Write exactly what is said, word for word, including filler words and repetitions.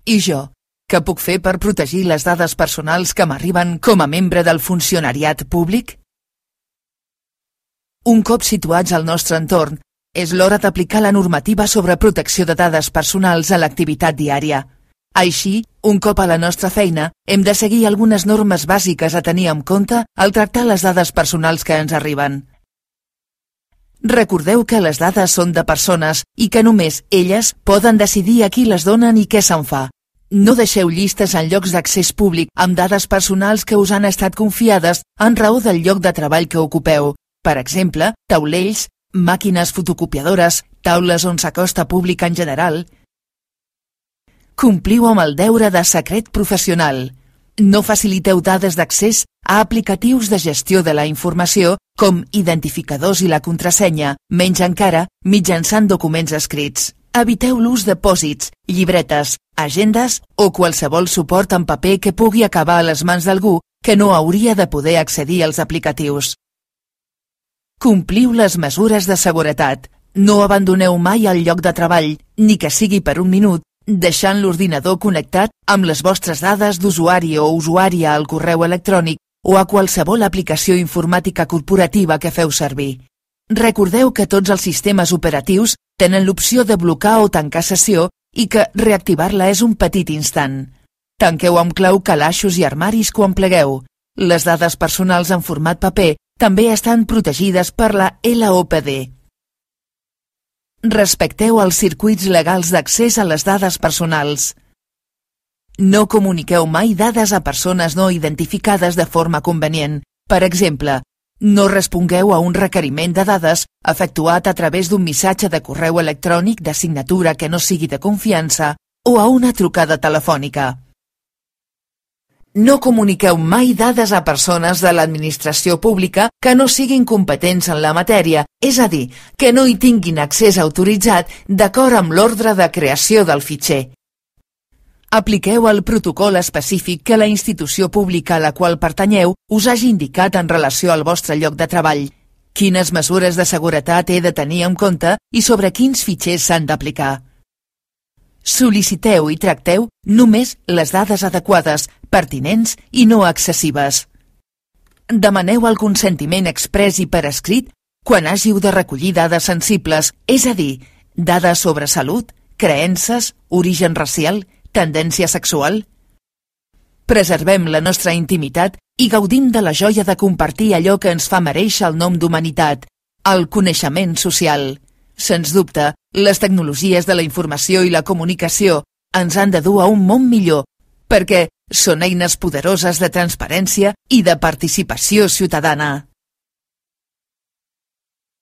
I jo, què puc fer per protegir les dades personals que m'arriben com a membre del funcionariat públic? Un cop situats al nostre entorn, és l'hora d'aplicar la normativa sobre protecció de dades personals a l'activitat diària. Així, un cop a la nostra feina, hem de seguir algunes normes bàsiques a tenir en compte al tractar les dades personals que ens arriben. Recordeu que les dades són de persones i que només elles poden decidir a qui les donen i què se'n fa. No deixeu llistes en llocs d'accés públic amb dades personals que us han estat confiades en raó del lloc de treball que ocupeu. Per exemple, taulells, màquines fotocopiadores, taules on s'acosta públic en general. Compliu amb el deure de secret professional. No faciliteu dades d'accés a aplicatius de gestió de la informació com identificadors i la contrasenya, menys encara mitjançant documents escrits. Eviteu l'ús de pòsits, llibretes, agendes o qualsevol suport en paper que pugui acabar a les mans d'algú que no hauria de poder accedir als aplicatius. Compliu les mesures de seguretat. No abandoneu mai el lloc de treball, ni que sigui per un minut, deixant l'ordinador connectat amb les vostres dades d'usuari o usuària al correu electrònic o a qualsevol aplicació informàtica corporativa que feu servir. Recordeu que tots els sistemes operatius tenen l'opció de blocar o tancar sessió i que reactivar-la és un petit instant. Tanqueu amb clau calaixos i armaris quan plegueu. Les dades personals en format paper també estan protegides per la L O P D. Respecteu els circuits legals d'accés a les dades personals. No comuniqueu mai dades a persones no identificades de forma convenient. Per exemple, no respongueu a un requeriment de dades efectuat a través d'un missatge de correu electrònic de signatura que no sigui de confiança o a una trucada telefònica. No comuniqueu mai dades a persones de l'administració pública que no siguin competents en la matèria, és a dir, que no hi tinguin accés autoritzat d'acord amb l'ordre de creació del fitxer. Apliqueu el protocol específic que la institució pública a la qual pertanyeu us hagi indicat en relació al vostre lloc de treball. Quines mesures de seguretat he de tenir en compte i sobre quins fitxers s'han d'aplicar. Sol·liciteu i tracteu només les dades adequades, pertinents i no excessives. Demaneu el consentiment exprés i per escrit quan hàgiu de recollir dades sensibles, és a dir, dades sobre salut, creences, origen racial, tendència sexual. Preservem la nostra intimitat i gaudim de la joia de compartir allò que ens fa merèixer el nom d'humanitat, el coneixement social. Sens dubte, les tecnologies de la informació i la comunicació ens han de dur a un món millor, perquè són eines poderoses de transparència i de participació ciutadana.